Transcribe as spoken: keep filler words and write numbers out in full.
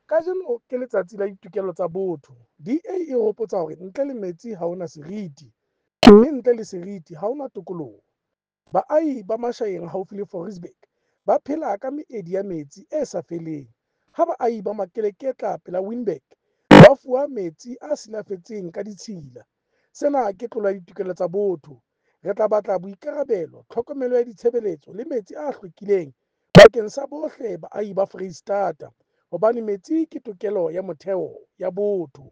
Kajeno ke Letsatsi la Ditokelo tsa Botho. D A e hopotsa hore ntle le metsi ha ho na seriti, mme ntle le seriti ha ho na tokoloho. Baahi ba Mashayeng haufi le Fouriesburg ba phela ka meedi ya metsi e sa feleng, ha baahi ba Makeleketla pela Winburg ba fuwa metsi a silafetseng ka ditshila. Sena ke tlolo ya ditokelo tsa botho. Re tla batla boikarabelo, tlhokomelo ya ditshebeletso le metsi a hlwekileng bakeng sa bohle baahi ba Foreisetata hobane metsi ke tokelo ya motheo ya botho.